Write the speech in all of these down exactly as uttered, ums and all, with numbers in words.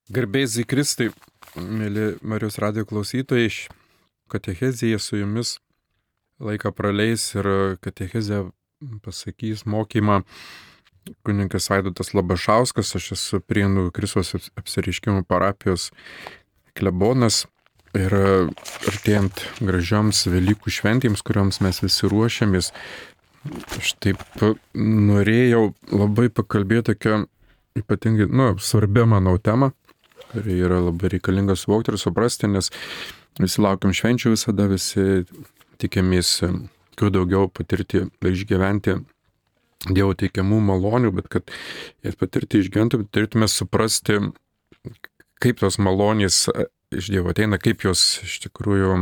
Garbės į Kristai, mėly Marijos radijo klausytojai, katechezėje su jumis laiką praleis ir katechezę pasakys mokymą kunigas Vaidotas Labašauskas. Aš esu Prienų Kristaus apsireiškimo parapijos klebonas ir artėjant gražioms Velykų šventėms, kurioms mes visi ruošiamės, aš taip norėjau labai pakalbėti tokią ypatingai, nu, svarbią, manau, temą, kuri yra labai reikalinga suvokti ir suprasti, nes visi laukiam švenčių visada, visi tikimės kuo daugiau patirti ir išgyventi Dievo teikiamų malonių, bet kad jas patirti išgyventi, turėtume suprasti, kaip tos malonės iš Dievo ateina, kaip jos iš tikrųjų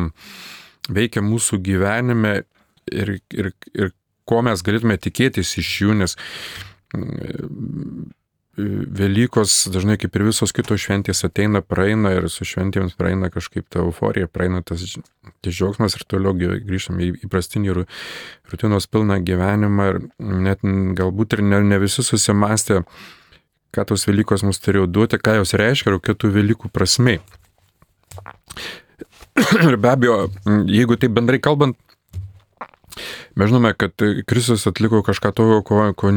veikia mūsų gyvenime ir, ir, ir ko mes galėtume tikėtis iš jų, nes Velykos dažnai kaip ir visos kitos šventės ateina, praeina ir su šventėms praeina kažkaip ta euforija, praeina tas, tas džiaugsmas ir toliau grįžtame į įprastinį rutinos pilną gyvenimą ir net galbūt ir ne, ne visi susimastė, ką tos Velykos mums turėjo duoti, ką jos reiškia ir kokia tų Velykų prasmė. Ir be abejo, jeigu taip bendrai kalbant, mes žinome, kad Kristus atliko kažką tokio, ko, ko,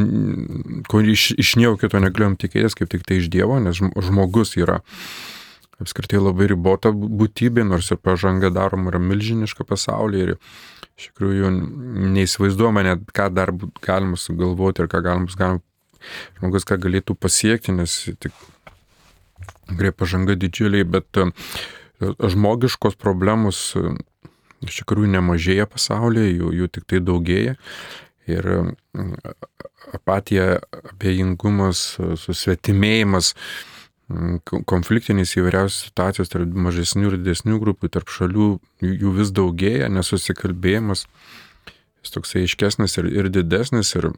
ko iš, iš nieko kito negalėjom tikėtis, kaip tik tai iš Dievo, nes žmogus yra apskritai labai ribota būtybė, nors ir pažanga daroma yra milžiniška pasaulyje ir iš tikrųjų neįsivaizduojama net, ką dar galima sugalvoti ir ką galima, galima žmogus ką galėtų pasiekti, nes tik tikrai pažanga didžiuliai, bet žmogiškos problemos iš tikrųjų nemažėja pasaulyje, jų, jų tik tai daugėja ir apatija, abejingumas, susvetimėjimas, konfliktinės įvairiausios situacijos tarp mažesnių ir didesnių grupių, tarp šalių jų vis daugėja, nesusikalbėjimas, jis toksai aiškesnis ir, ir didesnis ir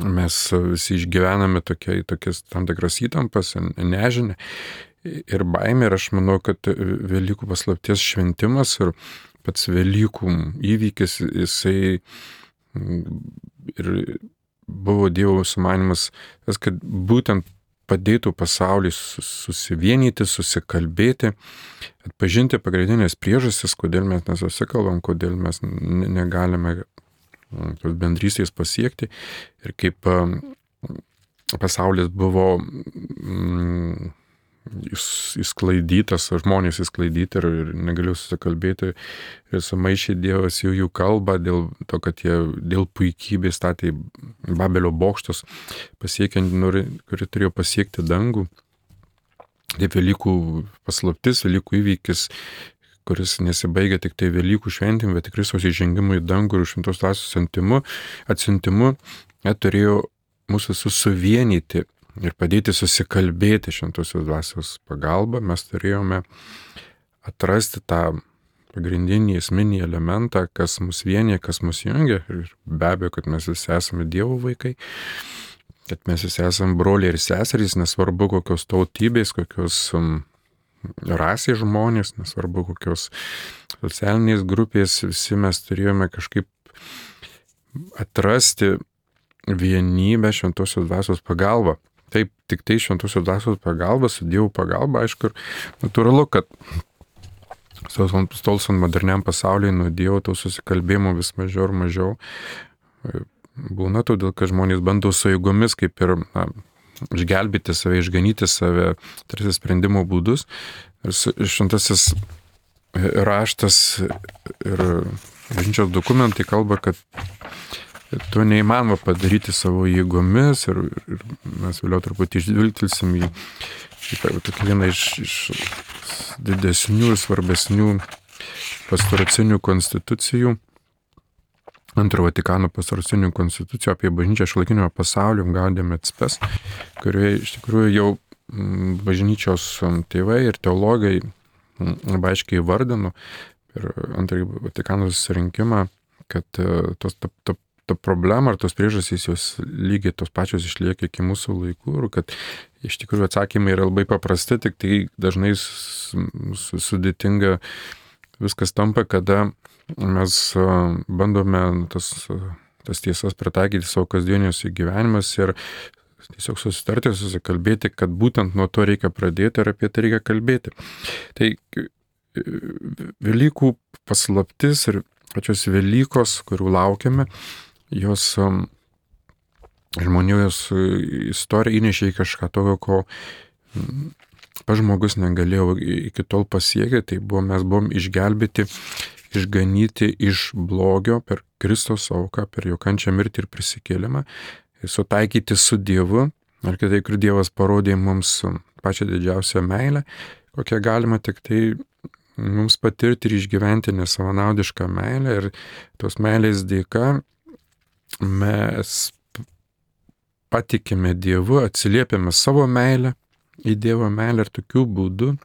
mes visi išgyvename tokia, tokias tam tikras įtampas, nežinę ir baimė ir aš manau, kad Velykų paslapties šventimas ir pats Velykų įvykis, jisai ir buvo Dievo sumanymas, tas, kad būtent padėtų pasauliui susivienyti, susikalbėti, atpažinti pagrindinės priežastis, kodėl mes nesusikalbam, kodėl mes negalime tos bendrystės pasiekti ir kaip pasaulis buvo mm, įsklaidytas, žmonės įsklaidyti ir, ir negalėjau susikalbėti ir sumaišė Dievas jų, jų kalbą dėl to, kad jie dėl puikybės statė Babelio bokštus, pasiekiant, kuri turėjo pasiekti dangų. Taip Velykų paslaptis, Velykų įvykis, kuris nesibaigia tik tai Velykų šventėm, bet tikrai Kristaus įžengimu į dangų ir šventos dvasios atsiuntimu, atsiuntimu, turėjo mūsų susivienyti ir padėti susikalbėti šventosios dvasios pagalba. Mes turėjome atrasti tą pagrindinį esminį elementą, kas mus vienyje, kas mus jungia. Ir be abejo, kad mes visi esame Dievo vaikai, kad mes visi esame broliai ir seserys, nesvarbu kokios tautybės, kokios um, rasės žmonės, nesvarbu kokios socialinės grupės, visi mes turėjome kažkaip atrasti vienybę šventosios dvasios pagalba. Taip, tik tai šventosios dvasios pagalba, su Dievo pagalba, aišku, ir natūralu, kad tolstant moderniam pasaulyje nuo Dievo to susikalbėjimo vis mažiau ir mažiau būna, todėl kad žmonės bando su jėgomis kaip ir na, išgelbėti save, išganyti save, tarsi sprendimo būdus. Ir šventasis raštas ir bažnyčios dokumentai kalba, kad to neįmanoma padaryti savo jėgomis ir, ir mes vėliau truputį išdvilgtelsim į, į tokį vieną iš, iš didesnių ir svarbesnių pastoracinių konstitucijų, antro Vatikano pastoracinių konstitucijų apie bažnyčią šiuolaikinio pasaulio Gaudium et Spes, kurioje iš tikrųjų jau bažnyčios tėvai ir teologai labai aiškiai įvardino per antrąjį Vatikano susirinkimą, kad tos ta, ta, ta problema ar tos priežastys jos lygiai tos pačios išlieka iki mūsų laikų ir kad iš tikrųjų atsakymai yra labai paprasti, tik tai dažnai sudėtinga viskas tampa, kada mes bandome tas, tas tiesas pritaikyti savo kasdieniuose gyvenimuose ir tiesiog susitarti, susikalbėti, kad būtent nuo to reikia pradėti ir apie tai reikia kalbėti. Tai Velykų paslaptis ir pačios Velykos, kurių laukiame, jos žmonijos istorija įnešė į kažką tokio, ko pats žmogus negalėjo iki tol pasiekti. Tai buvo, mes buvom išgelbėti, išganyti iš blogio per Kristaus auką, per jo kančią, mirtį ir prisikėlimą, sutaikyti su Dievu, ar kitaip, kur Dievas parodė mums pačią didžiausią meilę, kokią galima tik tai mums patirti ir išgyventi nesavanaudišką meilę, ir tos meilės dėka mes patikime Dievu, atsiliepiame savo meilę į Dievo meilę, ir tokiu būdu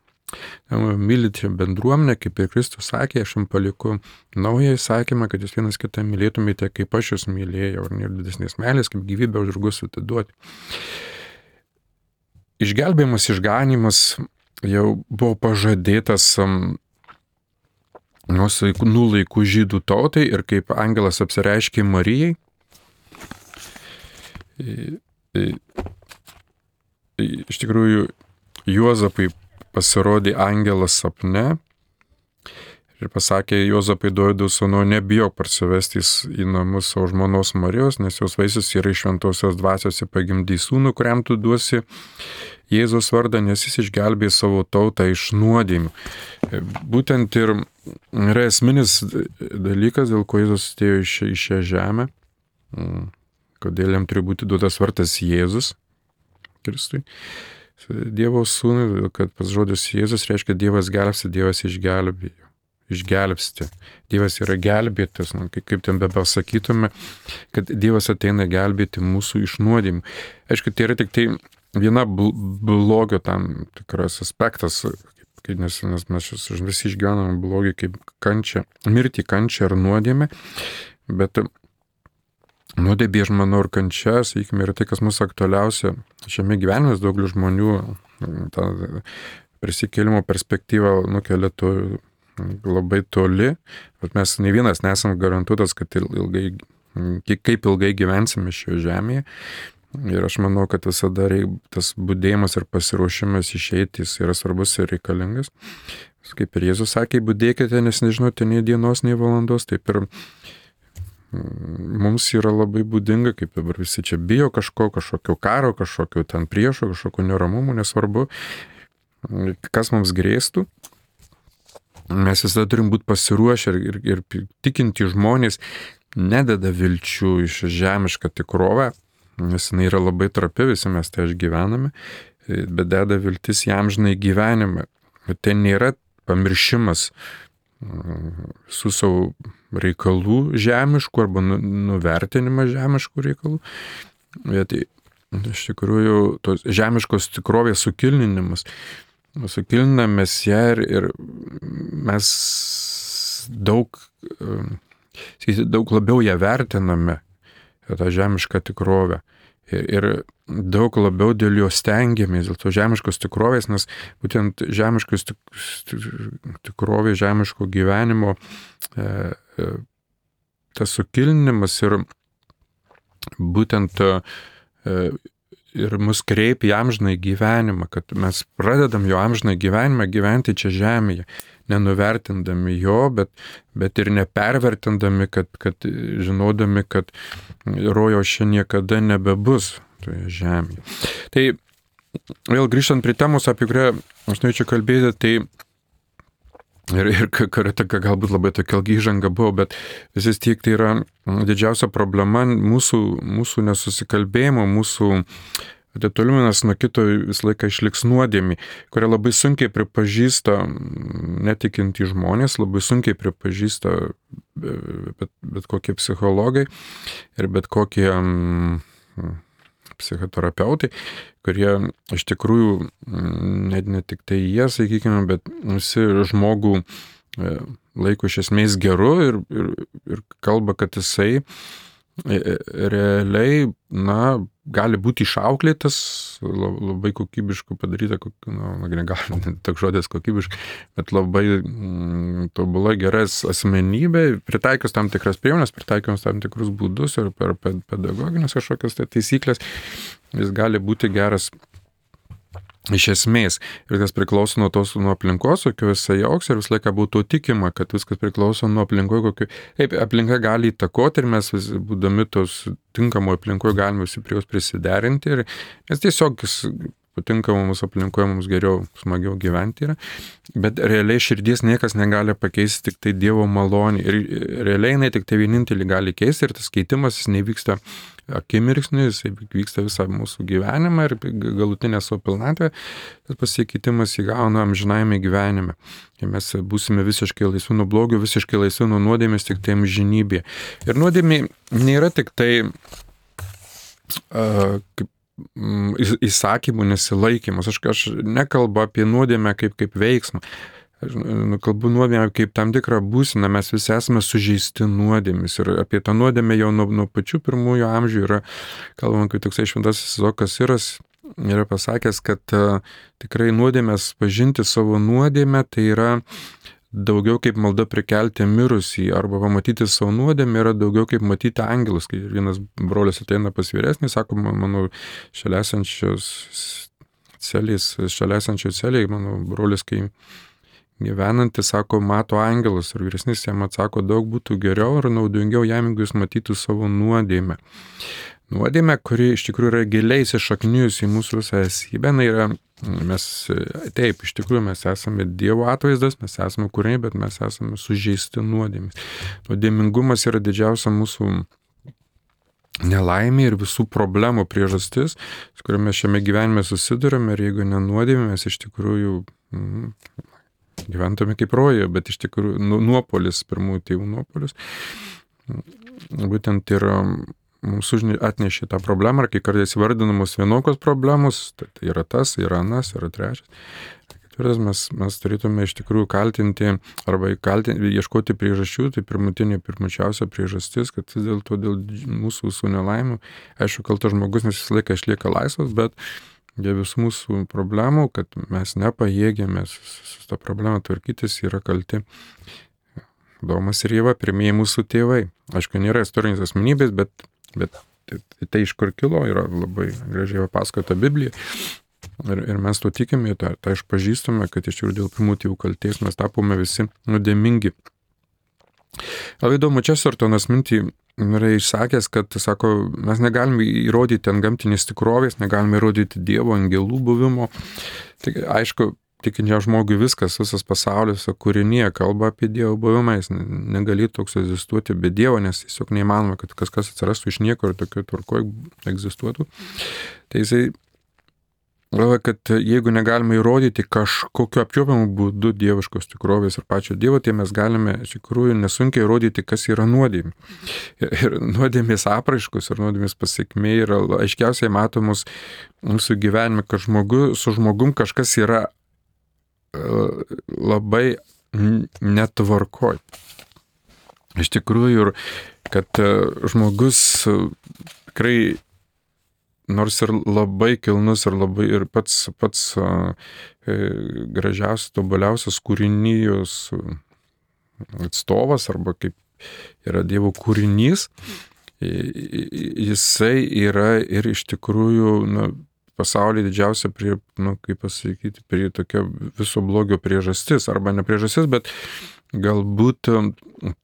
mylite bendruomenę, kaip ir Kristus sakė, aš jums paliku naują įsakymą, kad jūs vienas kitą mylėtumėte, kaip aš jūs mylėjau, ir nėra didesnės meilės, kaip gyvybę už draugus atiduoti. Išgelbėjimas, išganimas jau buvo pažadėtas nuo senų laikų žydų tautai, ir kaip angelas apsireiškė Marijai, iš tikrųjų Juozapai pasirodė angelas sapne ir pasakė Juozapai, Dovydo sūnau, nebijok parsivesti į namus savo žmonos Marijos, nes jos vaisius yra iš šventosios dvasios, ir pagimdys sūnų, kuriam tu duosi Jėzaus vardą, nes jis išgelbėjo savo tautą iš nuodėmių. Būtent ir yra esminis dalykas, dėl ko Jėzus atėjo į šią žemę, kodėl jam turi būti duotas vardas Jėzus Kristui, Dievo sūnui, kad pats žodis Jėzus reiškia Dievas gelbsti, Dievas išgelbėjo, išgelbsti. Dievas yra gelbėtas, nu, kaip ten bepasakytume, kad Dievas ateina gelbėti mūsų iš nuodėmių. Aišku, tai yra tik tai viena blogio tam tikras aspektas, nes, nes mes visi išgyvename blogį kaip kančią, mirtį, kančią ar nuodėmę, bet nuodėmė, aš manau, ir kančia, sakykime, yra tai, kas mūsų aktualiausia šiame gyvenime. Daugelis žmonių tą prisikėlimo perspektyvą nukelia to labai toli, bet mes nei vienas nesam garantuotas, kad ilgai, kaip ilgai gyvensime šioje žemėje. Ir aš manau, kad visada tas budėjimas ir pasiruošimas išeiti yra svarbus ir reikalingas. Kaip ir Jėzus sakė, budėkite, nes nežinote nei dienos, nei valandos. Taip ir mums yra labai būdinga, kaip dabar visi čia bijo kažko, kažkokio karo, kažkokio ten priešo, kažkokio neramumų, nesvarbu, kas mums grėstų. Mes visada turim būti pasiruošę, ir, ir, ir tikinti žmonės nededa vilčių iš žemišką tikrovę, nes jinai yra labai trapi, visi mes tai išgyvename, bet deda viltis į amžinai gyvenimą. Tai nėra pamiršimas su savo reikalų žemiškų arba nuvertinimas žemiškų reikalų. Bet iš tikrųjų tos žemiškos tikrovės sukilninimas. Sukilinamės ją ir, ir mes daug, daug labiau ją vertiname, tą žemišką tikrovę. Ir, ir daug labiau dėl jo stengiamės, dėl to žemiškos tikrovės, nes būtent žemiškos tikrovės, žemiško gyvenimo e, e, tas sukilinimas ir būtent e, ir mus kreipia į amžinąjį gyvenimą, kad mes pradedam jo amžinąjį gyvenimą gyventi čia žemėje, nenuvertindami jo, bet, bet ir nepervertindami, kad, kad žinodami, kad rojaus čia niekada nebebus toje žemėje. Tai vėl grįžtant prie temos, apie kurią aš norėčiau kalbėti, tai ir, ir kartą galbūt labai tokia ilga įžanga buvo, bet vis tiek tai yra didžiausia problema mūsų, mūsų nesusikalbėjimo, mūsų atitolimas nuo kito visą laiką išliks nuodėmė, kurią labai sunkiai pripažįsta netikintys žmonės, labai sunkiai pripažįsta bet, bet kokie psichologai ir bet kokie mm, psichoterapeutai, kurie iš tikrųjų net ne tik tai jie, sakykime, bet visi žmogų laiko iš esmės geru ir, ir, ir kalba, kad jisai realiai, na, gali būti išauklėtas, labai kokybiškai padaryta, nu, gal toks žodis kokybiškai, bet labai mm, tobulai geras asmenybė, pritaikius tam tikras priemonės, pritaikius tam tikrus būdus ir per pedagoginės kažkokias tai taisyklės, jis gali būti geras iš esmės. Ir tas priklauso nuo tos, nuo aplinkos, kokio jisai augs ir visą laiką būtų tikima, kad viskas priklauso nuo aplinkoje, kokio... Taip, aplinka gali įtakoti ir mes vis, būdami tos tinkamo aplinkoje galime visi prie jos prisiderinti ir nes tiesiog patinka mums aplinkoje, mums geriau, smagiau gyventi yra. Bet realiai širdies niekas negali pakeisti, tik tai Dievo malonė. Ir realiai jinai tik tai vienintelį gali keisti ir tas keitimas jis nevyksta akimirksniu, jis vyksta visą mūsų gyvenimą ir galutinę savo pilnatvę, tas pasikeitimas įgauna amžinajame gyvenime. Ir mes būsime visiškai laisvi nuo blogio, visiškai laisvi nuo nuodėmės tik tai amžinybėje. Ir nuodėmė nėra tik tai uh, kaip įsakymų nesilaikymas. Aš, aš nekalbu apie nuodėmę kaip, kaip veiksmą. Aš kalbu nuodėmę kaip tam tikrą būseną, mes visi esame sužeisti nuodėmis ir apie tą nuodėmę jau nuo, nuo pačių pirmųjų amžių yra, kalbama, kai toksai šventasis Izaokas Siras yra pasakęs, kad uh, tikrai nuodėmės pažinti savo nuodėmę tai yra daugiau kaip malda prikelti mirusį arba pamatyti savo nuodėmę yra daugiau kaip matyti angelus. Kai vienas brolis ateina pas vyresnį, sako, mano šalia esančios celės, šalia esančios celėje, mano brolis, kai gyvenantis, sako, mato angelus ir vyresnis jam atsako, daug būtų geriau ir naudingiau jam, jeigu jis matytų savo nuodėmę. Nuodėmė, kuri iš tikrųjų yra giliai įsišaknijusi į mūsų visą esybę, yra, mes, taip, iš tikrųjų mes esame Dievo atvaizdas, mes esame kūriniai, bet mes esame sužeisti nuodėmės. Nuodėmingumas yra didžiausia mūsų nelaimė ir visų problemų priežastis, su kuriamis šiame gyvenime susidurime ir jeigu nenuodėmė, mes iš tikrųjų mm, gyventume kaip rojoje, bet iš tikrųjų nu, nuopolis, pirmųjų tėvų nuopolis, būtent ir mums atnešė tą problemą, ir kai kartais vardinamos vienokios problemos, tai, tai yra tas, yra anas, yra trečias. Ketvirtas, mes, mes turėtume iš tikrųjų kaltinti arba kaltinti, ieškoti priežasčių, tai pirmutinė, pirmučiausia priežastis, kad vis dėlto dėl mūsų visų nelaimių, aišku, kaltas žmogus nes visą laiką išlieka laisvas, bet dėl visų mūsų problemų, kad mes nepajėgėme su, su tą problemą tvarkytis, yra kalti Domas ir Ieva, pirmieji mūsų tėvai. Aišku, nėra istorinės asmenybės, bet, bet tai, tai iš kur kilo, yra labai gražiai papasakota Biblija. Ir, ir mes to tikime, tą, tą išpažįstame, kad iš tikrųjų dėl pirmų tėvų kalties mes tapome visi nuodėmingi. Labai įdomu, Chestertonas mintį yra išsakęs, kad, sako, mes negalime įrodyti ant gamtinės tikrovės, negalime įrodyti Dievo, angelų buvimo. Tai aišku, tikinčiam žmogui viskas, visas pasaulis, kūrinyje kalba apie Dievo buvimą, jis negalėtų toks egzistuoti be Dievo, nes tiesiog neįmanoma, kad kažkas atsirastų iš nieko ir tokio tvarkoje egzistuotų. Tai jisai galvoja, kad jeigu negalime įrodyti kažkokiu apčiuopiamu būdu dieviškos tikrovės ir pačio Dievo, tai mes galime iš tikrųjų nesunkiai įrodyti, kas yra nuodėmė. Ir, ir nuodėmės apraiškos ir nuodėmės pasiekmė yra aiškiausiai matomos mūsų gyvenime, kad žmogu, su žmogum kažkas yra uh, labai netvarkoj. Iš tikrųjų, ir kad uh, žmogus uh, tikrai nors ir labai kilnus ir labai ir pats, pats uh, gražiausias, tobuliausias kūrinijos atstovas arba kaip yra Dievo kūrinys, jisai yra ir iš tikrųjų nu, pasaulyje didžiausia, prie, nu, kaip pasakyti, prie tokia viso blogio priežastis, arba ne priežastis, bet galbūt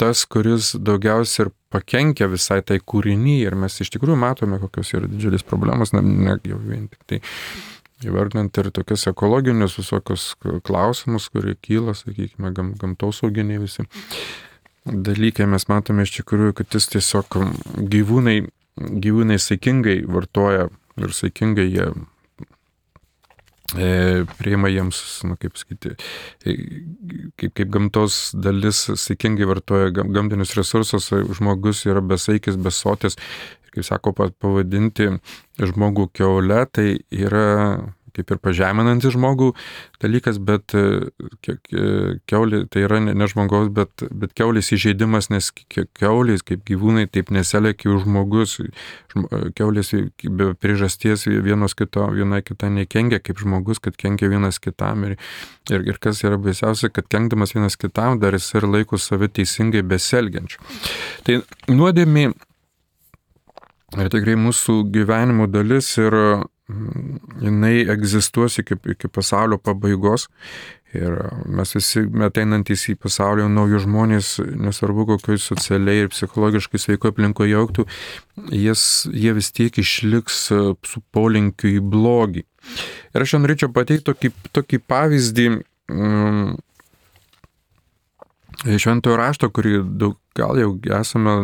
tas, kuris daugiausiai ir pakenkia visai tai kūrinyje ir mes iš tikrųjų matome, kokios yra didžiulės problemos, ne, ne jau vien tik tai įvardinant ir tokias ekologinius visokius klausimus, kurie kyla, sakykime, gam, gamtosauginiai visi dalykai, mes matome iš tikrųjų, kad jis tiesiog gyvūnai, gyvūnai saikingai vartoja ir saikingai jie e, priima jiems, nu, kaip sakyti, e, kaip, kaip gamtos dalis saikingai vartoja gamtinius resursus, žmogus yra besaikis, besotis, kaip sako, pavadinti žmogų kiaule, tai yra kaip ir pažeminantis žmogų dalykas, bet keulė tai yra ne, ne žmogaus, bet, bet keulės įžeidimas, nes keulės kaip gyvūnai taip neselėkia už žmogus. Keulės be priežasties vienos kito, viena kita nekengia kaip žmogus, kad kenkia vienas kitam. Ir, ir, ir kas yra baisiausia, kad kenkdamas vienas kitam dar jis ir laiko save teisingai beselgiančiu. Tai nuodėmė yra tikrai mūsų gyvenimo dalis ir jinai egzistuos iki, iki pasaulio pabaigos ir mes visi ateinantys į pasaulį naujus žmonės, nesvarbu kokioj socialiai ir psichologiškai sveiko aplinkoje augtų, jis, jie vis tiek išliks su polinkiu į blogį. Ir aš norėčiau pateikti tokį, tokį pavyzdį um, šventojo rašto, kurį daug, gal jau esame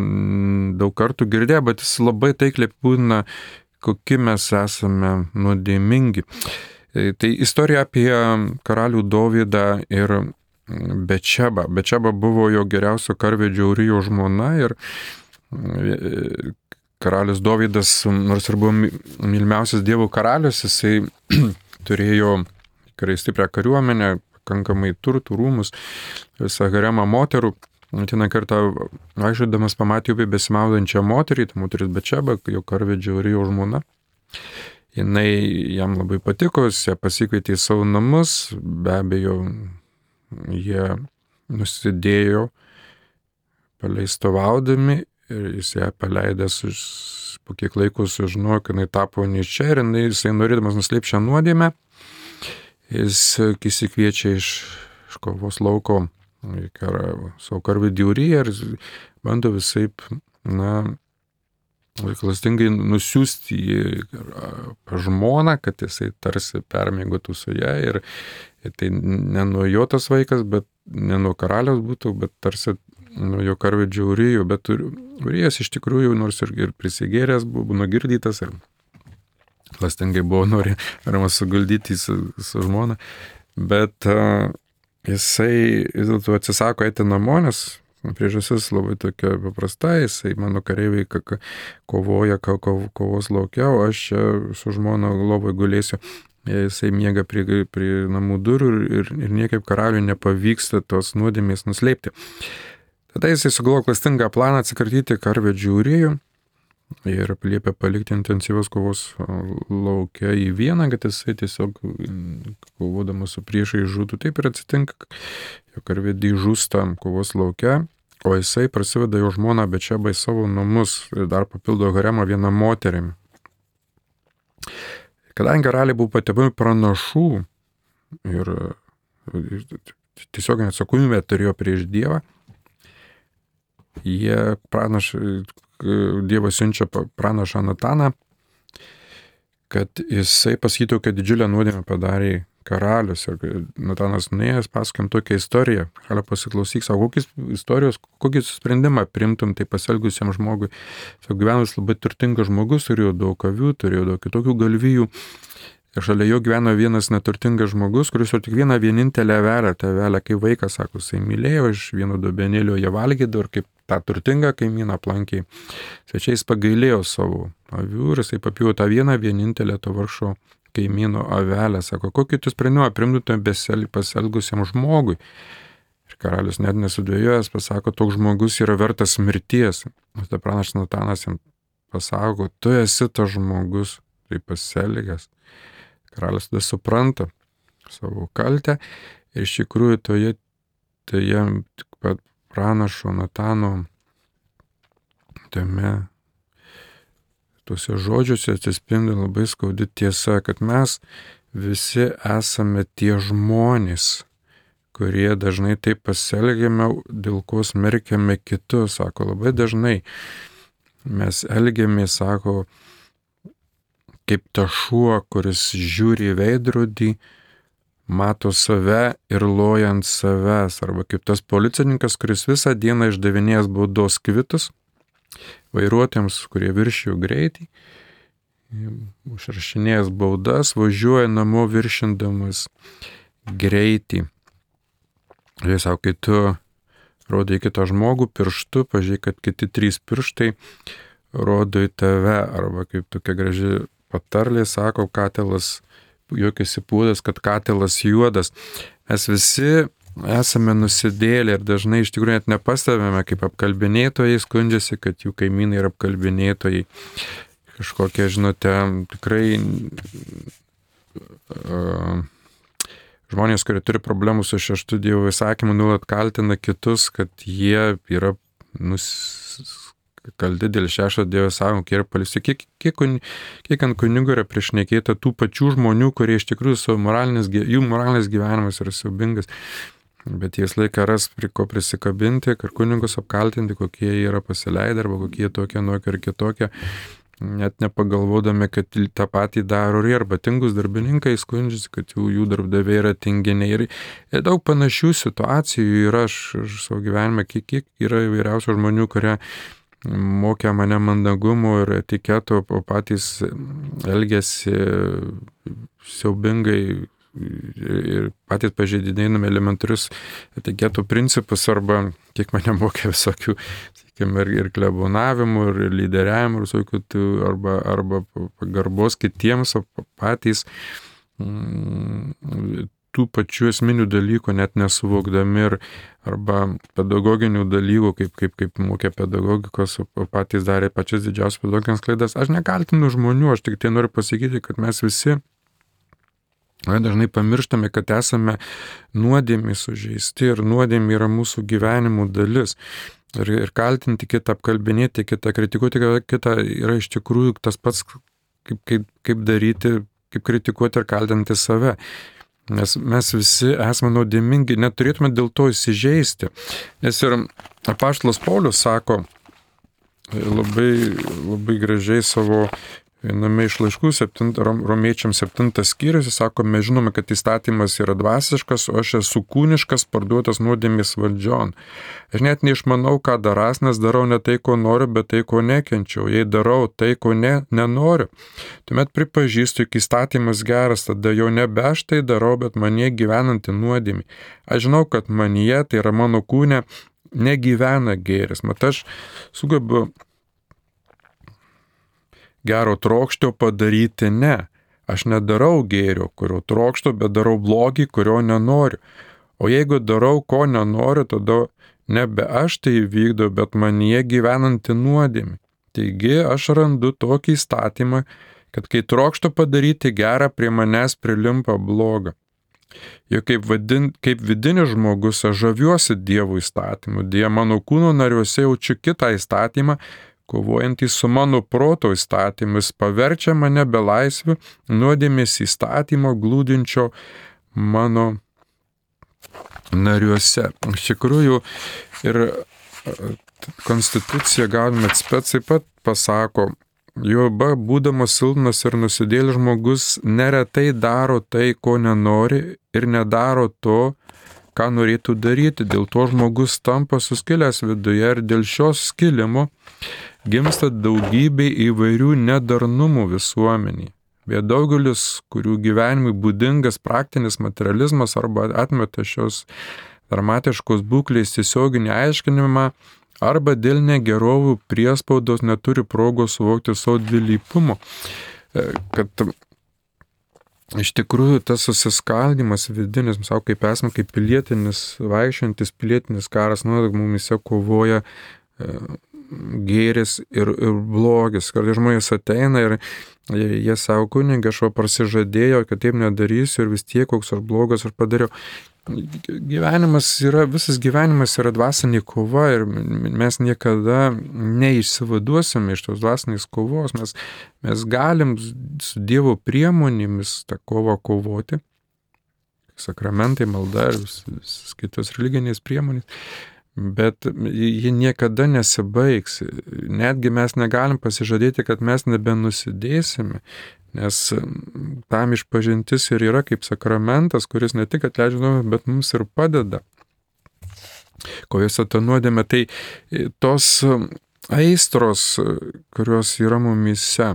daug kartų girdėję, bet jis labai taikliai apibūdina, kokie mes esame nuodėmingi. Tai istorija apie karalių Dovydą ir Bečebą. Bečeba buvo jo geriausio karvedžio Urijo žmona ir karalius Dovydas, nors ir buvo mylimiausias Dievo karalius, jisai turėjo tikrai stiprią kariuomenę, pakankamai turtų, rūmus, visą haremą moterų. Vieną kartą vaikščiodamas pamatė upėje besimaudančią moterį, ta moteris Bečeba, jo karvedžio Urijo žmona. Jinai jam labai patiko, jis ją pasikvietė į savo namus, be abejo, jie nusidėjo paleistovaudami ir jis ją paleidęs po kiek laiko sužinojo, kad jinai tapo nėščia ir jisai norėdamas nuslėpti šią nuodėmę, jis įsikviečia iš, iš kovos lauko savo karvedį Uriją ir bando visaip, na, klastingai nusiųsti jį pas žmoną, kad jisai tarsi permiegotų su ją ir, ir tai ne nuo jo tas vaikas, bet ne nuo karaliaus būtų, bet tarsi nuo jo karvedžio Urijo, bet Urijas iš tikrųjų, nors ir, ir prisigėręs, buvo nugirdytas ir klastingai buvo norima suguldyti su, su žmona, bet uh, jisai vis dėlto atsisako eiti namo, nes priežastis labai tokia paprasta, jisai mano kareiviai kovoja kovos laukia, o aš čia su žmona lovoj gulėsiu. Jisai miega prie, prie namų durų ir, ir niekaip karaliui nepavyksta tos nuodėmės nuslėpti. Tada jisai sugalvojo klastingą planą atsikratyti karvedžių Urijų ir liepė palikti intensyvios kovos laukia į vieną, kad jisai tiesiog kovodamas su priešai žūtų. Taip ir atsitinka, jo karvedį žūsta kovos laukia, o jisai prasiveda jo žmoną Bečebą į savo namus ir dar papildo haremą vieną moterimi. Kadangi karaliai buvo patepami pranašų ir, ir tiesiog atsakomybę turėjo prieš Dievą, jie pranašai Dievas siunčia pranašą Nataną, kad jisai pasakytų, kad didžiulę nuodėmę padarė karalius. Ir Natanas nuėjęs pasakėm tokią istoriją. Karaliau pasiklausyk, savo kokius istorijos, kokį sprendimą priimtum tai pasielgusiam žmogui. Savo gyvenus labai turtingas žmogus, turėjo daug avių, turėjo daug kitokių galvijų. Ir šalia jo gyveno vienas neturtingas žmogus, kuris jau tik vieną vienintelę avelę, tą avelę kaip vaikas, sako, jisai mylėjo, iš vieno dubenėlio jie valgydavo ir kaip tą turtingą kaimyną aplankiai. Svečiais pagailėjo savo avių ir jisai papjūvo tą vieną vienintelę to vargšo kaimyno avelę. Sako, kokį tu sprendimą primtume pasielgusiam žmogui? Ir karalius net nesudvėjojęs pasako, toks žmogus yra vertas mirties. O tada pranašas Natanas jam pasako, tu esi tas žmogus, tai pasielgęs. Karalius tada supranta savo kaltę ir iš tikrųjų toje, toje pat pranašo Natano tame, tuose žodžiuose atsispindi labai skaudi tiesa, kad mes visi esame tie žmonės, kurie dažnai taip pasielgiame, dėl ko smerkiame kitus. Sako, labai dažnai mes elgiamės, sako, kaip ta šuo, kuris žiūri į veidrodį, mato save ir loja ant savęs. Arba kaip tas policininkas, kuris visą dieną išdavinėjęs baudos kvitus vairuotojams, kurie viršijo greitį, užrašinėjęs baudas, važiuoja namo viršindamas greitį. Ir sako, kai tu rodai kitą žmogų pirštu, pažiūrėk, kad kiti trys pirštai rodo į tave. Arba kaip tokia graži patarlė, sako, katilas juokiasi pūdas, kad katilas juodas. Mes visi esame nusidėlę ir dažnai iš tikrųjų net nepastebėme, kaip apkalbinėtojai skundžiasi, kad jų kaimynai yra apkalbinėtojai. Kažkokie, žinote, tikrai uh, žmonės, kurie turi problemų su šeštu Dievo įsakymu, nuolat kaltina kitus, kad jie yra nus... kalti dėl šešto Dievo įsakymo, kiek yra paliesti. Kiek, kiek, kiek ant kunigų yra priešnekėta tų pačių žmonių, kurie iš tikrųjų savo moralinis, jų moralinis gyvenimas yra siaubingas. Bet jis laiką ras prie ko prisikabinti, kad kunigus apkaltinti, kokie jie yra pasileidę, arba kokie jie tokie, nuokie ir kitokie, net nepagalvodami, kad tą patį daro ir arba tingus darbininkai skundžiasi, kad jų, jų darbdaviai yra tinginiai. Ir, ir daug panašių situacijų yra aš, aš savo gyvenime, kiek, kiek yra įvairiausių žmonių, kurie mokė mane mandagumo ir etiketo, o patys elgėsi siaubingai ir patys pažeidinėjami elementarius etiketo principus, arba kiek mane mokė visokių, sakykime, ir, ir klebonavimų, ir lyderiavimų, ir visokių, arba, arba pagarbos kitiems, o patys mm, tų pačių esminių dalykų net nesuvokdami, ir, arba pedagoginių dalykų, kaip, kaip, kaip mokė pedagogikos, o patys darė pačias didžiausias pedagoginės klaidas. Aš nekaltinu žmonių, aš tik tai noriu pasakyti, kad mes visi dažnai pamirštame, kad esame nuodėmė sužeisti ir nuodėmė yra mūsų gyvenimų dalis. Ir, ir kaltinti kitą, apkalbinėti kitą, kritikuoti kitą yra iš tikrųjų tas pats, kaip, kaip, kaip daryti, kaip kritikuoti ir kaltinti save. Nes mes visi esame nuodėmingi, neturėtume dėl to įsižeisti. Nes ir apaštalas Paulius sako labai, labai gražiai savo viename iš laiškų septint, romiečiams septintas skyrius, jis sako, mes žinome, kad įstatymas yra dvasiškas, o aš esu kūniškas, parduotas nuodėmės valdžion. Aš net neišmanau, ką darąs, nes darau ne tai, ko noriu, bet tai, ko nekenčiau. Jei darau tai, ko ne, nenoriu, tuomet pripažįstu, jog įstatymas geras, tada jau nebe aš tai darau, bet manyje gyvenanti nuodėmė. Aš žinau, kad manyje, tai yra mano kūne, negyvena gėris. Mat aš sugebu gero trokšto padaryti ne. Aš nedarau gėrio, kurio trokšto, bet darau blogį, kurio nenoriu. O jeigu darau, ko nenoriu, tada nebe aš tai vykdau, bet manyje gyvenanti nuodėmė. Taigi aš randu tokį įstatymą, kad kai trokšto padaryti gerą, prie manęs prilimpa blogą. Juk kaip, vadin, kaip vidinis žmogus aš žaviuosi Dievo įstatymu, dėja mano kūno nariuose jaučiu kitą įstatymą, kovojantys su mano proto įstatymis, paverčia mane belaisviu nuodėmės įstatymo glūdinčio mano nariuose. Iš tikrųjų, ir konstitucija galime atspėti taip pat pasako, Joba, būdamas silpnas ir nusidėlis žmogus, neretai daro tai, ko nenori, ir nedaro to, ką norėtų daryti. Dėl to žmogus tampa suskilęs viduje, ir dėl šios skilimo gimsta daugybė įvairių nedarnumų visuomenėje. Bet daugelis, kurių gyvenimui būdingas praktinis materializmas arba atmeta šios dramatiškos būklės tiesioginį aiškinimą, arba dėl negerovių priespaudos neturi progos suvokti savo dvilypumo. Kad iš tikrųjų tas susiskaldimas vidinis, savo kaip esame, kaip pilietinis, vaikščiantis pilietinis karas, nuolat mumise kovoja gėris ir, ir blogis. Kartais žmonės ateina ir jie savo kunigą, aš va prasižadėjau, kad taip nedarysiu ir vis tiek koks aš blogas aš padariau. Gyvenimas yra, visas gyvenimas yra dvasinė kova ir mes niekada neišsivaduosime iš tos dvasinės kovos. Mes, mes galim su Dievo priemonėmis tą kovą kovoti. Sakramentai, malda ir vis, vis kitos religinės priemonės. Bet ji niekada nesibaigs. Netgi mes negalim pasižadėti, kad mes nebenusidėsime, nes tam išpažintis ir yra kaip sakramentas, kuris ne tik atleidžia nuodėmę, bet mums ir padeda kovose tą nuodėmę. Tai tos aistros, kurios yra mumyse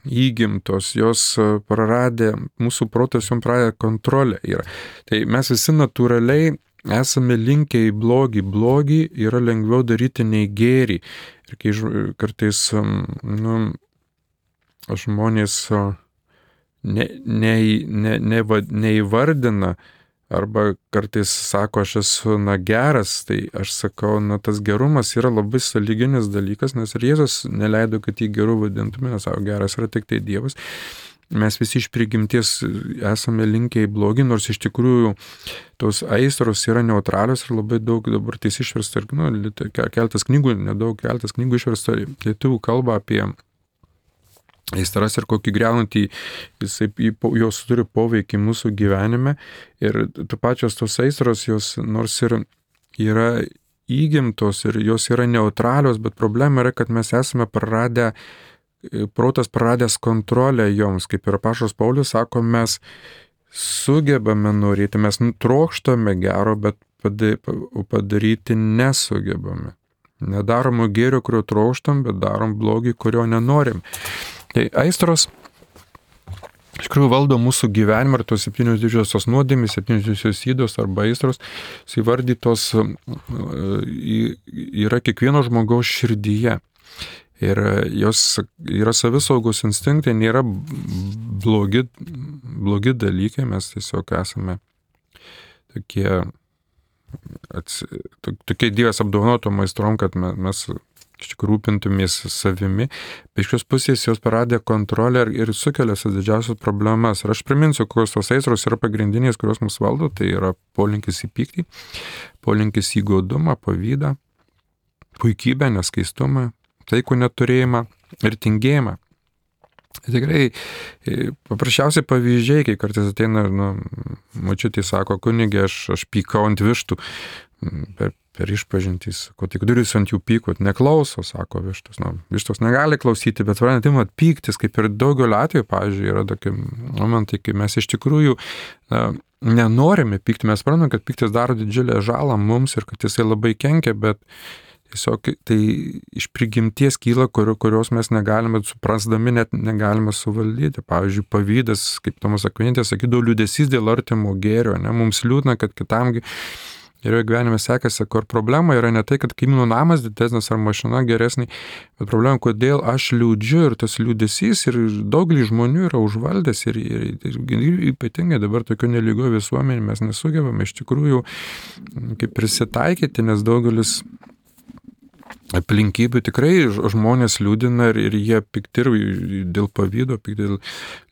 įgimtos, jos praradė, mūsų protas jom praradė kontrolę. Yra. Tai mes visi natūraliai esame linkę į blogį. Blogį yra lengviau daryti nei gėrį. Ir kai kartais nu, žmonės ne, ne, ne, ne, neįvardina, arba kartais sako, aš esu, na, geras, tai aš sakau, na, tas gerumas yra labai sąlyginis dalykas, nes ir Jėzus neleido, kad jį geru vadintume, nes savo geras yra tik tai Dievas. Mes visi iš prigimties esame linkę į blogį, nors iš tikrųjų tos aistros yra neutralios ir labai daug dabar tais išversta, nu, keltas knygų, nedaug keltas knygų išversta lietuvių kalba apie aistras ir kokį greunantį, jisai, jos turi poveikį mūsų gyvenime ir tu pačios tos aistros, jos nors ir yra įgimtos ir jos yra neutralios, bet problema yra, kad mes esame praradę protas praradęs kontrolę joms, kaip ir apaštalas Paulius sako, mes sugebame norėti, mes trokštame gero, bet padaryti nesugebame. Nedarom gėrio, kurio trokštam, bet darom blogį, kurio nenorim. Tai aistros iš tikrųjų valdo mūsų gyvenimą ir tos septynios didžiosios nuodėmės, septynios didžiosios ydos arba aistros, įvardytos yra kiekvieno žmogaus širdyje. Ir jos yra savisaugos instinktai, nėra blogi, blogi dalykai, mes tiesiog esame tokie, ats, tokie Dievas apdovanotom aistrom, kad mes, mes iš tikrųjų rūpintumės savimi. Bet iš šios pusės jos paradė kontrolę ir, ir sukelia didžiausias problemas. Ir aš priminsiu, kokios tos aistros yra pagrindinės, kurios mus valdo, tai yra polinkis į pyktį, polinkis į godumą, pavydą, puikybę, neskaistumą, taikų neturėjimą ir tingėjimą. Tikrai paprasčiausiai pavyzdžiai, kai kartais ateina, nu, močiutė sako, kunigė, aš, aš pykau ant vištų per, per išpažintys, ko tik duris ant jų pykot, neklauso, sako vištos. Nu, vištos negali klausyti, bet varantimat pyktis, kaip ir daugelio atveju, pavyzdžiui, yra tokie momentai, kai mes iš tikrųjų na, nenorime pykti, mes suprantam, kad pyktis daro didžiulę žalą mums ir kad jisai labai kenkia, bet tiesiog tai iš prigimties kyla, kur, kurios mes negalime, suprasdami net negalime suvaldyti. Pavyzdžiui, pavydas, kaip Tomas Akvinėtis sakydavo, liūdesys dėl artimo gėrio. Ne? Mums liūdna, kad kitam geriau gyvenime sekasi, kur problema yra ne tai, kad kaimynų namas didesnis ar mašina geresnė, bet problema, kodėl aš liūdžiu ir tas liūdesys ir daugelį žmonių yra užvaldęs ir, ir, ir, ir ypatingai dabar tokio nelygio visuomenė mes nesugebame iš tikrųjų kaip prisitaikyti, nes daugelis aplinkybių tikrai žmonės liūdina ir, ir jie pikti ir dėl pavydo, pikti dėl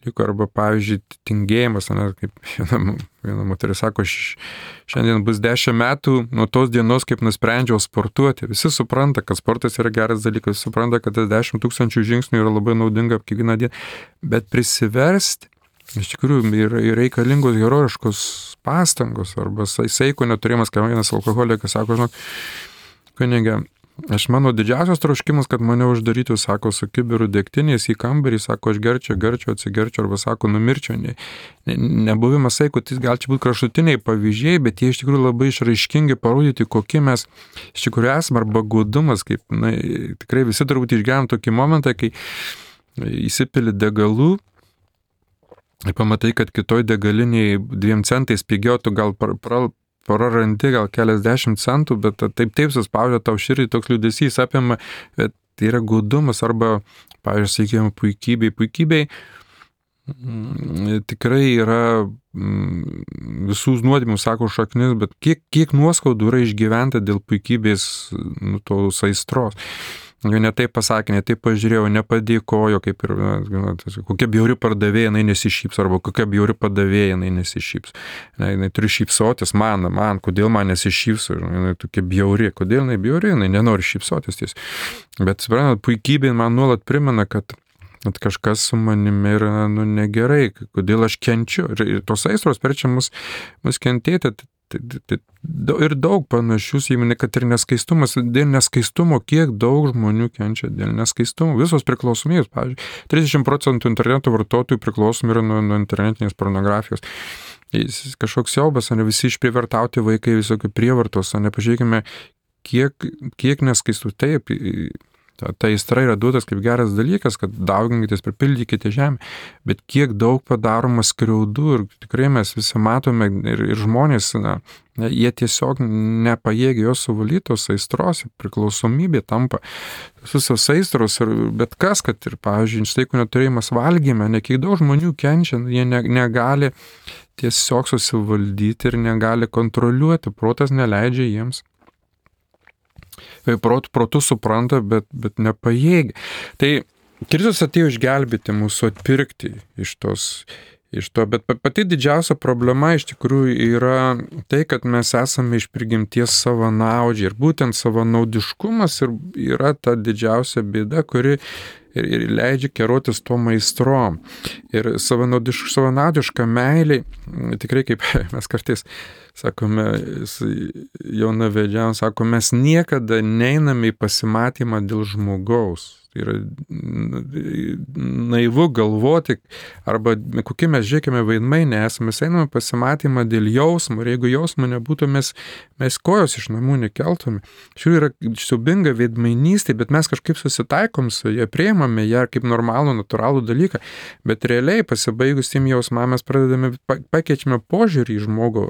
liko, arba pavyzdžiui tingėjimas, ne, kaip viena, viena moteris sako, šiandien bus dešimt metų nuo tos dienos, kaip nusprendžiau sportuoti. Visi supranta, kad sportas yra geras dalykas, visi supranta, kad tas dešimt tūkstančių žingsnių yra labai naudinga kiekvieną dieną, bet prisiversti iš tikrųjų yra reikalingos herojiškos pastangos arba saiko neturėjimas, kai vienas alkoholikas sako, žinok, kunigė, aš mano didžiausias troškimas, kad mane uždarytų, sako, su kibiru degtinės į kambarį, sako, aš gerčiau, gerčiau, atsigerčiau, arba sako, numirčiau. Ne, ne, nebuvimas saiko, tai gal čia būtų kraštutiniai pavyzdžiai, bet jie iš tikrųjų labai išraiškingi parodyti, kokie mes iš tikrųjų esame, arba godumas, kaip, na, tikrai visi turbūt išgyvenam tokį momentą, kai įsipili degalų, ir pamatai, kad kitoj degaliniai dviem centais pigiau, tu gal pra, pra, prarandi gal keliasdešimt centų, bet taip taip suspaudžia tau širdį, toks liūdesys apima, bet tai yra godumas arba, pavyzdžiui, sakykime, puikybei. Puikybei mm, tikrai yra mm, visų nuodėmių, sako, šaknis, bet kiek, kiek nuoskaudų yra išgyventa dėl puikybės, nu, tos aistros. Jo netaip pasakė, netaip pažiūrėjau, nepadėkojo, kaip ir, na, kokia bjauri pardavėja, jinai nesišyps, arba kokia bjauri padavėja, jinai nesišyps. Jinai, jinai turi šypsotis, man, man, kodėl man nesišyps, jinai tokia bjauri, kodėl jinai bjauri, jinai nenori šypsotis ties. Bet, suprantat, puikybė man nuolat primena, kad, kad kažkas su manimi yra, nu, negerai, kodėl aš kenčiu. Ir, ir tos aistros verčia mus, mus kentėti. Tai, tai, tai, ir daug panašius, jeigu ne, kad ir neskaistumas, dėl neskaistumo, kiek daug žmonių kenčia dėl neskaistumo, visos priklausomybės, pavyzdžiui, trisdešimt procentų interneto vartotojų priklausomi yra nuo, nuo internetinės pornografijos. Jis kažkoks siaubas, ne visi išprievartauti vaikai, visokių prievartos, ne pažiūrėkime, kiek, kiek neskaistų, taip, Ta, ta aistra yra duotas kaip geras dalykas, kad dauginkitės, pripildykite žemę, bet kiek daug padaroma skriaudų ir tikrai mes visi matome ir, ir žmonės, na, jie tiesiog nepajėgia jos suvalytos aistros, priklausomybė tampa visos aistros ir bet kas, kad ir, pavyzdžiui, steikų neturėjimas valgyme, ne kiek daug žmonių kenčia, jie ne, negali tiesiog susivaldyti ir negali kontroliuoti, protas neleidžia jiems. Protų, protų supranta, bet, bet nepajėgia. Tai Kristus atėjo išgelbėti mūsų, atpirkti iš, tos, iš to, bet pati didžiausia problema iš tikrųjų yra tai, kad mes esame iš prigimties savanaudžiai ir būtent savanaudiškumas ir yra ta didžiausia bėda, kuri ir, ir leidžia kerotis to maistrom. Ir savanaudiš, savanaudiška meilė, tikrai kaip mes kartais sakome, jaunavedžiams, sako, mes niekada neiname į pasimatymą dėl žmogaus. Tai yra naivu galvoti, arba kokie mes, žiūrėkime, vaidmainiai esame, mes einame pasimatymą dėl jausmo, ir jeigu jausmo nebūtų, mes, mes kojos iš namų nekeltume. Šiuo yra siaubinga veidmainystė, bet mes kažkaip susitaikom su ją, priimame ją kaip normalų, natūralų dalyką, bet realiai pasibaigus tiem jausmam mes pradedame, pakeičiame požiūrį į žmogų,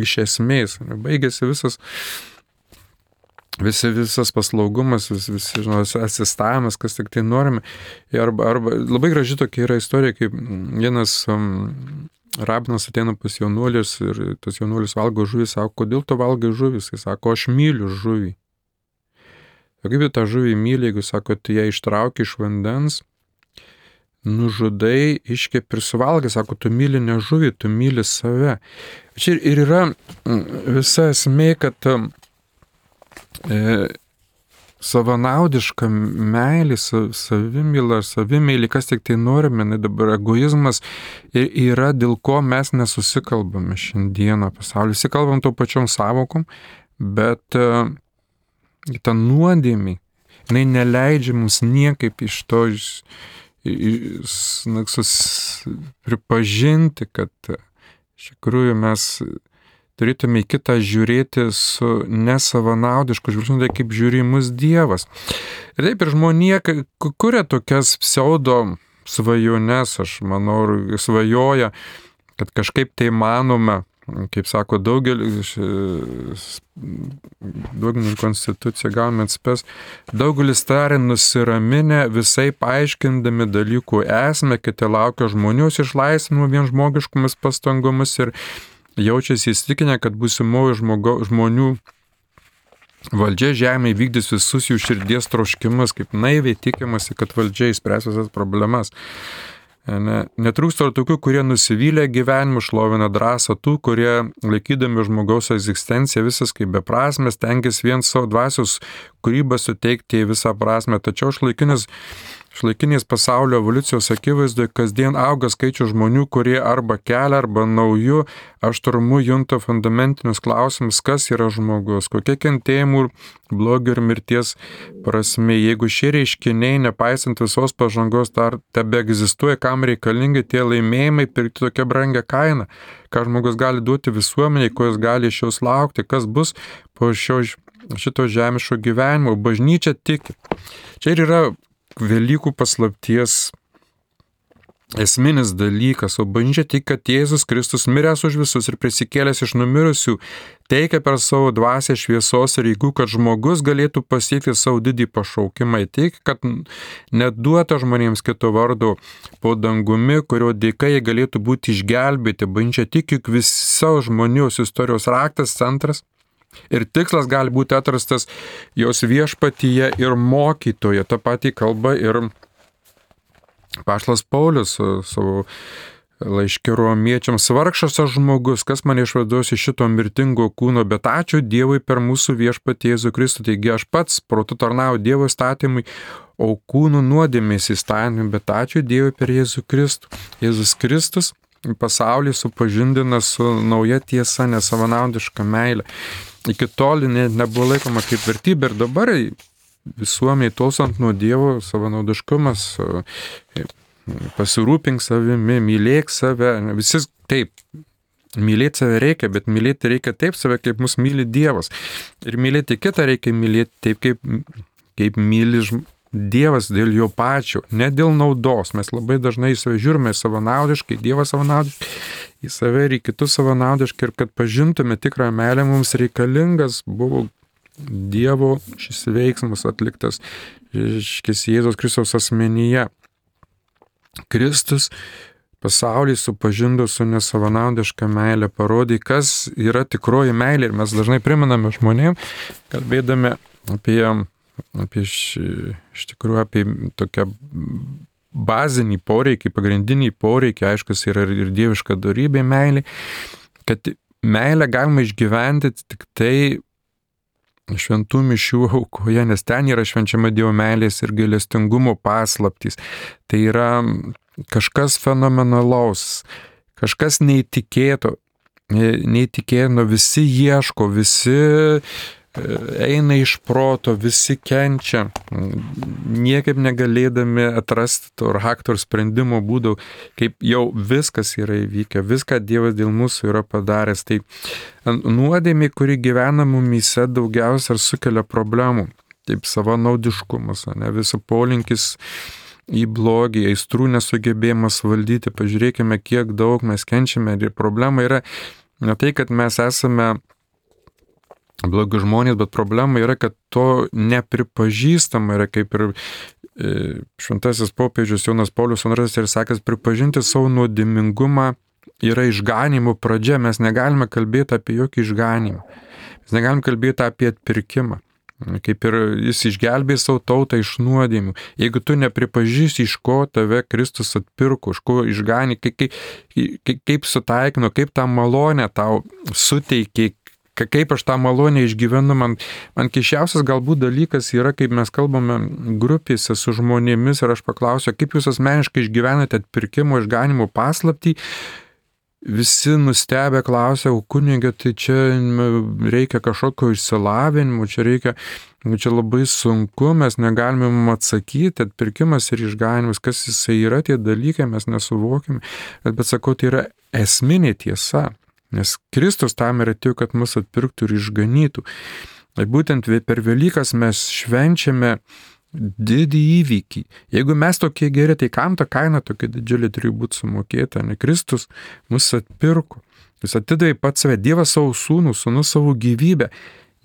iš esmės, baigėsi visas Visi, visas paslaugumas, vis, visi, žinot, asistavimas, kas tik tai norime. Arba, arba labai graži tokia yra istorija, kaip vienas um, rabinas ateina pas jaunuolis ir tas jaunuolis valgo žuvį, sako, kodėl tu valgai žuvį? Jis sako, aš myliu žuvį. O kaip tą žuvį myli, jeigu sako, tu ją ištrauki iš vandens, nužudai, iškepi ir suvalgai, sako, tu myli ne žuvį, tu myli save. Čia ir yra visa esmė, kad E, savanaudiška meilė, savimyla, savimyli, kas tik tai norime, ne dabar egoizmas yra, dėl ko mes nesusikalbame šiandieną pasaulyje. Visi kalbam to pačiom savokom, bet e, ta nuodėmė, jinai neleidžia mums niekaip iš to iš, iš, sus, pripažinti, kad iš tikrųjų mes turėtume į kitą žiūrėti su nesavanaudišku žvilgsniu, tai kaip žiūri mus Dievas. Ir taip ir žmonija kuria tokias pseudo svajones, aš manau, svajoja, kad kažkaip tai manome, kaip sako daugelis, daugelis konstitucija gauname atspės, daugelis tarė nusiraminę, visai paaiškindami dalykų esmę, kiti laukia žmonios išlaisvinimo vien žmogiškomis pastangomis ir jaučiasi įsitikinę, kad būsimoji žmonių valdžia žemėje vykdys visus jų širdies troškimus, kaip naiviai tikimasi, kad valdžia išspręs visas problemas. Ne, netrūksta ir tokių, kurie nusivylę gyvenimu, šlovina drąsą tų, kurie laikydami žmogaus egzistenciją visas kaip beprasmės, tenkis vien savo dvasios kūrybą suteikti į visą prasmę. Tačiau šlaikinis Šlaikinės pasaulio evoliucijos akivaizdoje kasdien auga skaičių žmonių, kurie arba kelia, arba naujų aštrumu junta fundamentinius klausimus, kas yra žmogus, kokie kentėjimų, blogio ir mirties prasme. Jeigu šie reiškiniai, nepaisant visos pažangos, dar tebe egzistuoja, kam reikalingi tie laimėjimai pirkti tokią brangę kainą, ką žmogus gali duoti visuomeniai, ko jis gali iš jos laukti, kas bus po šio, šito žemiško gyvenimo. Bažnyčia tiki. Čia ir yra Velykų paslapties esminis dalykas, o bažnyčia tik, kad Jėzus Kristus miręs už visus ir prisikėlęs iš numirusių teikia per savo dvasią šviesos ir jėgų, kad žmogus galėtų pasiekti savo didį pašaukimą, tik, kad neduota žmonėms kito vardo po dangumi, kurio dėka jie galėtų būti išgelbėti. Bažnyčia tik, juk visos žmonijos istorijos raktas, centras ir tikslas gali būti atrastas jos viešpatyje ir mokytoje. Ta pati kalba ir Apaštalas Paulius savo laiške romiečiams: vargšas aš žmogus, kas mane išvaduos iš šito mirtingo kūno, bet ačiū Dievui per mūsų viešpatį Jėzų Kristų. Taigi aš pats protu tarnauju Dievo įstatymui, o kūnų nuodėmės įstatymui, bet ačiū Dievui per Jėzų Kristų. Jėzus Kristus pasaulį supažindina su nauja tiesa, nesavanaudiška meilė. Iki tol ne, nebuvo laikoma kaip vertybė ir dabar visuomeniai tolstant nuo Dievo savanaudiškumas, pasirūpink savimi, mylėk save. Visi taip, mylėti save reikia, bet mylėti reikia taip save, kaip mus myli Dievas. Ir mylėti kitą reikia mylėti taip, kaip, kaip myli Dievas dėl jo pačio, ne dėl naudos. Mes labai dažnai į save žiūrime savanaudiškai, Dievas savanaudiškai, į save ir į kitus savanaudiškai, ir kad pažintume tikrą meilę, mums reikalingas buvo Dievo šis veiksmas atliktas šis Jėzaus Kristaus asmenyje. Kristus pasaulį supažindavo su nesavanaudiška meilė, parodė, kas yra tikroji meilė, ir mes dažnai primename žmonėm, kalbėdami apie, apie š, iš tikrųjų apie tokią bazinį poreikį, pagrindinį poreikį, aiškus yra ir dieviška dorybė meilė, kad meilę galima išgyventi tik tai šventų mišių aukoje, nes ten yra švenčiama Dievo meilės ir gailestingumo paslaptys. Tai yra kažkas fenomenalaus, kažkas neįtikėto, neįtikėtino, visi ieško, visi eina iš proto, visi kenčia, niekaip negalėdami atrasti to rakto ir sprendimo būdų, kaip jau viskas yra įvykę, viską Dievas dėl mūsų yra padaręs. Tai nuodėmė, kuri gyvena mumyse, daugiausia ir sukelia problemų, taip savanaudiškumas, ne, visų polinkis į blogį, aistrų nesugebėjimas valdyti. Pažiūrėkime, kiek daug mes kenčiame, ir problema yra ne tai, kad mes esame blogi žmonės, bet problema yra, kad to nepripažįstama yra, kaip ir šventasis popiežius Jonas Paulius antrasis ir sakęs, pripažinti savo nuodėmingumą yra išganimo pradžia. Mes negalime kalbėti apie jokį išganimą. Mes negalime kalbėti apie atpirkimą. Kaip ir jis išgelbė savo tautą iš nuodėmių. Jeigu tu nepripažįsti, iš ko tave Kristus atpirko, iš ko išganė, kaip, kaip, kaip sutaikino, kaip tą malonę tau suteikė, kaip aš tą malonę išgyvenu. Man, man keiščiausias galbūt dalykas yra, kaip mes kalbame grupėse su žmonėmis ir aš paklausiu, kaip jūs asmeniškai išgyvenate atpirkimo, išganimo paslaptį. Visi nustebę klausia, o kunigė, tai čia reikia kažkokio išsilavinimo, čia reikia, čia labai sunku, mes negalime atsakyti, atpirkimas ir išganimas, kas jisai yra, tie dalykai mes nesuvokime, bet, bet sakau, tai yra esminė tiesa. Nes Kristus tam ir atėjo, kad mus atpirktų ir išganytų. Ir būtent per Velykas mes švenčiame didį įvykį. Jeigu mes tokie geri, tai kam ta kaina tokia didžiulė turi būti sumokėta? Ne, Kristus mus atpirko. Jis atidavė pats save, Dievas savo sūnų, sūnus savo gyvybę.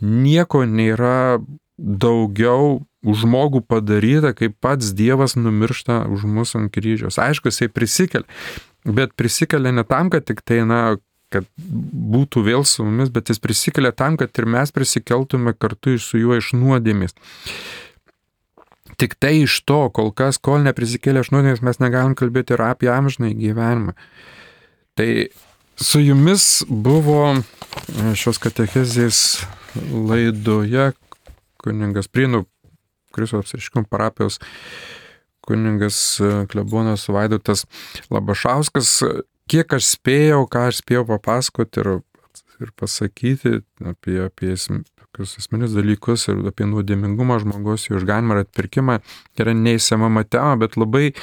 Nieko nėra daugiau už žmogų padaryta, kaip pats Dievas numiršta už mus ant kryžiaus. Aišku, jisai prisikelia, bet prisikelia ne tam, kad tik tai, na, kad būtų vėl su mumis, bet jis prisikelia tam, kad ir mes prisikeltume kartu su juo iš nuodėmės. Tik tai iš to, kol kas, kol neprisikėlė iš nuodėmės, mes negalim kalbėti ir apie amžinąjį gyvenimą. Tai su jumis buvo šios katechezės laidoje kunigas Prienų Kristaus apsireiškimo parapijos kunigas klebonas Vaidotas Labašauskas. Kiek aš spėjau, ką aš spėjau papasakoti ir, ir pasakyti apie, apie esminius dalykus ir apie nuodėmingumą žmogaus, jų išganimą ir atpirkimą, yra neįsiemama tema, bet labai,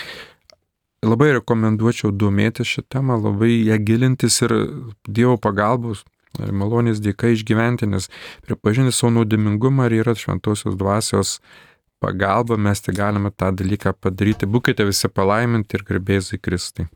labai rekomenduočiau domėtis šią temą, labai ją gilintis ir Dievo pagalbos ir malonės dėka išgyventi, nes pripažinti savo nuodėmingumą ir yra šventosios dvasios pagalba, mes tai galime tą dalyką padaryti. Būkite visi palaiminti ir garbėzai Kristui.